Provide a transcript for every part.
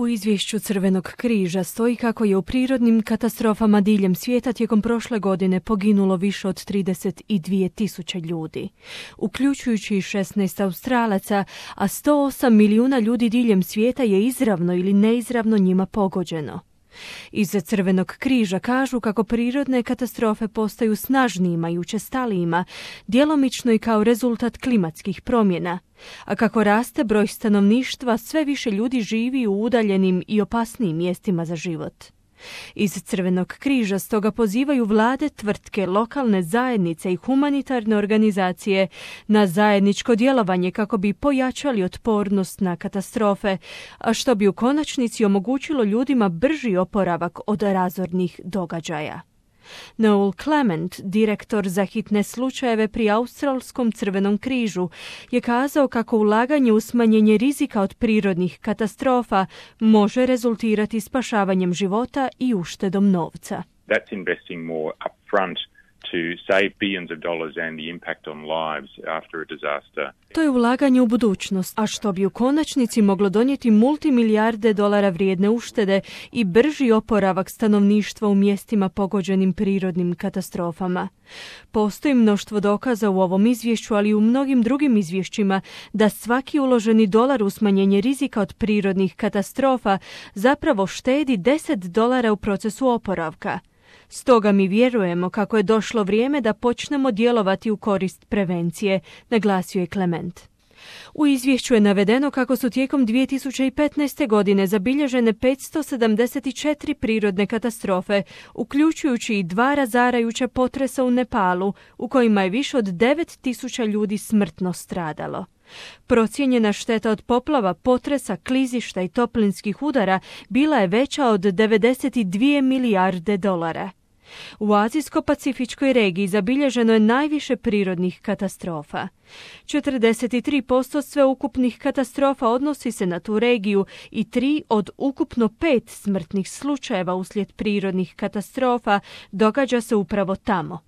U izvješću Crvenog križa stoji kako je u prirodnim katastrofama diljem svijeta tijekom prošle godine poginulo više od 32.000 ljudi, uključujući 16 Australaca, a 108 milijuna ljudi diljem svijeta je izravno ili neizravno njima pogođeno. Iz Crvenog križa kažu kako prirodne katastrofe postaju snažnijima i učestalijima, djelomično i kao rezultat klimatskih promjena, a kako raste broj stanovništva, sve više ljudi živi u udaljenim i opasnijim mjestima za život. Iz Crvenog križa stoga pozivaju vlade, tvrtke, lokalne zajednice i humanitarne organizacije na zajedničko djelovanje kako bi pojačali otpornost na katastrofe, a što bi u konačnici omogućilo ljudima brži oporavak od razornih događaja. Noel Clement, direktor za hitne slučajeve pri Australskom Crvenom križu, je kazao kako ulaganje u smanjenje rizika od prirodnih katastrofa može rezultirati spašavanjem života i uštedom novca. That's investing more upfront to save billions of dollars and the impact on lives after a disaster. To je ulaganje u budućnost, a što bi u konačnici moglo donijeti multimilijarde dolara vrijedne uštede i brži oporavak stanovništva u mjestima pogođenim prirodnim katastrofama. Postoji mnoštvo dokaza u ovom izvješću, ali i u mnogim drugim izvješćima, da svaki uloženi dolar u smanjenje rizika od prirodnih katastrofa zapravo štedi $10 u procesu oporavka. Stoga mi vjerujemo kako je došlo vrijeme da počnemo djelovati u korist prevencije, naglasio je Clement. U izvješću je navedeno kako su tijekom 2015. godine zabilježene 574 prirodne katastrofe, uključujući i 2 razarajuća potresa u Nepalu, u kojima je više od 9.000 ljudi smrtno stradalo. Procijenjena šteta od poplava, potresa, klizišta i toplinskih udara bila je veća od 92 milijarde dolara. U Azijsko-pacifičkoj regiji zabilježeno je najviše prirodnih katastrofa. 43% sveukupnih katastrofa odnosi se na tu regiju i 3 od ukupno 5 smrtnih slučajeva uslijed prirodnih katastrofa događa se upravo tamo.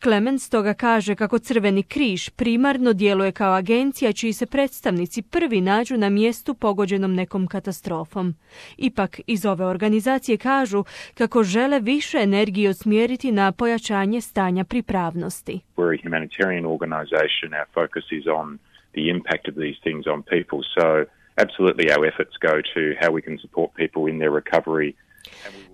Clement stoga kaže kako Crveni križ primarno djeluje kao agencija čiji se predstavnici prvi nađu na mjestu pogođenom nekom katastrofom. Ipak iz ove organizacije kažu kako žele više energije usmjeriti na pojačanje stanja pripravnosti. We're a humanitarian organization. Our focus is on the impact of these things on people. So absolutely our efforts go to how we can support people in their recovery.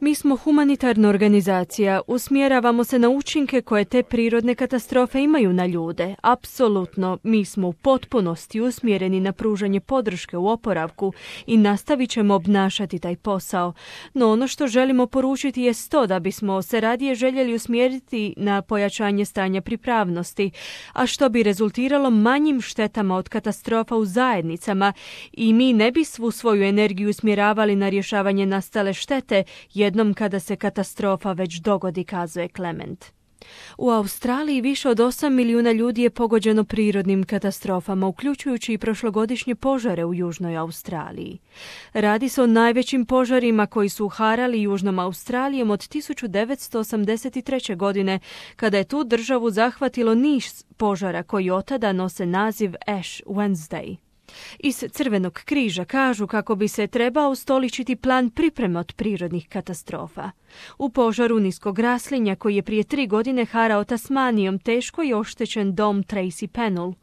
Mi smo humanitarna organizacija, usmjeravamo se na učinke koje te prirodne katastrofe imaju na ljude. Apsolutno, mi smo u potpunosti usmjereni na pružanje podrške u oporavku i nastavit ćemo obnašati taj posao. No ono što želimo poručiti je to da bismo se radije željeli usmjeriti na pojačanje stanja pripravnosti, a što bi rezultiralo manjim štetama od katastrofa u zajednicama i mi ne bi svu svoju energiju usmjeravali na rješavanje nastale štete jednom kada se katastrofa već dogodi, kazuje Clement. U Australiji više od 8 milijuna ljudi je pogođeno prirodnim katastrofama, uključujući i prošlogodišnje požare u Južnoj Australiji. Radi se o najvećim požarima koji su harali Južnom Australijom od 1983. godine, kada je tu državu zahvatilo niz požara koji otada nose naziv Ash Wednesday. Iz Crvenog križa kažu kako bi se trebao ustoličiti plan pripreme od prirodnih katastrofa. U požaru niskog raslinja koji je prije 3 godine harao Tasmanijom teško je oštećen dom Tracy Pennell.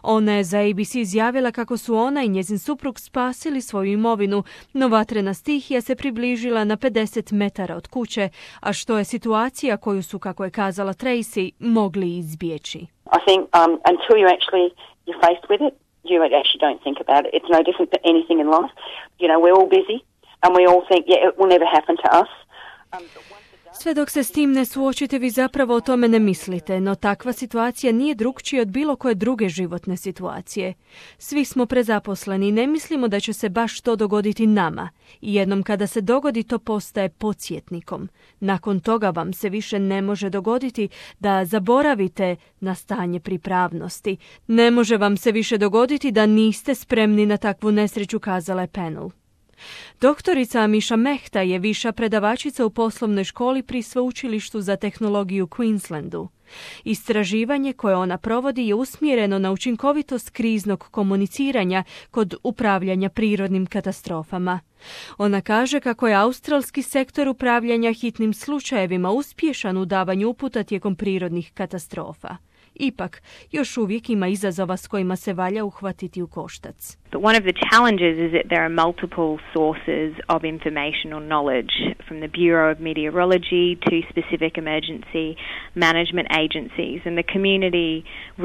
Ona je za ABC izjavila kako su ona i njezin suprug spasili svoju imovinu, no vatrena stihija se približila na 50 metara od kuće, a što je situacija koju su, kako je kazala Tracy, mogli izbjeći. I think until you're faced with it, you actually don't think about it. It's no different to anything in life. You know, we're all busy and we all think, yeah, it will never happen to us. Sve dok se s tim ne suočite, vi zapravo o tome ne mislite, no takva situacija nije drukčija od bilo koje druge životne situacije. Svi smo prezaposleni i ne mislimo da će se baš to dogoditi nama. I jednom kada se dogodi, to postaje podsjetnikom. Nakon toga vam se više ne može dogoditi da zaboravite na stanje pripravnosti. Ne može vam se više dogoditi da niste spremni na takvu nesreću, kazala je Pennell. Doktorica Amisha Mehta je viša predavačica u poslovnoj školi pri Sveučilištu za tehnologiju u Queenslandu. Istraživanje koje ona provodi je usmjereno na učinkovitost kriznog komuniciranja kod upravljanja prirodnim katastrofama. Ona kaže kako je australski sektor upravljanja hitnim slučajevima uspješan u davanju uputa tijekom prirodnih katastrofa. Ipak, još uvijek ima izazova s kojima se valja uhvatiti u koštac. But one of the challenges is that there are multiple sources of information or knowledge, from the Bureau of Meteorology to specific emergency management agencies. And the community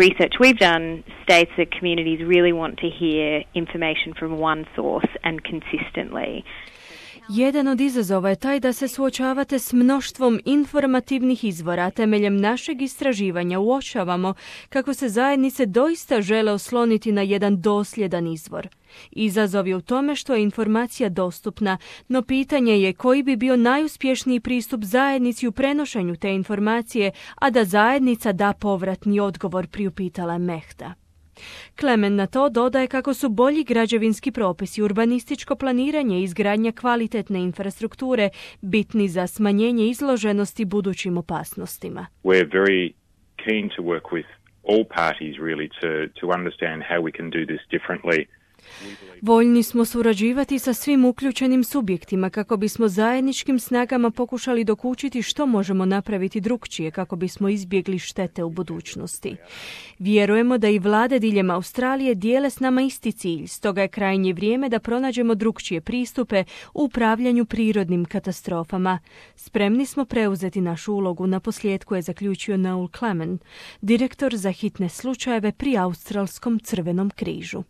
research we've done states that communities really want to hear information from one source and consistently. Jedan od izazova je taj da se suočavate s mnoštvom informativnih izvora. Temeljem našeg istraživanja uočavamo kako se zajednice doista žele osloniti na jedan dosljedan izvor. Izazov je u tome što je informacija dostupna, no pitanje je koji bi bio najuspješniji pristup zajednici u prenošenju te informacije, a da zajednica da povratni odgovor, priupitala je Mehta. Klemen na to dodaje kako su bolji građevinski propisi, urbanističko planiranje i izgradnja kvalitetne infrastrukture bitni za smanjenje izloženosti budućim opasnostima. We're very keen to work with all parties really to understand how we can do this differently. Voljni smo surađivati sa svim uključenim subjektima kako bismo zajedničkim snagama pokušali dokučiti što možemo napraviti drukčije kako bismo izbjegli štete u budućnosti. Vjerujemo da i vlade diljem Australije dijele s nama isti cilj, stoga je krajnje vrijeme da pronađemo drukčije pristupe u upravljanju prirodnim katastrofama. Spremni smo preuzeti našu ulogu, naposljetku je zaključio Noel Clement, direktor za hitne slučajeve pri Australskom crvenom križu.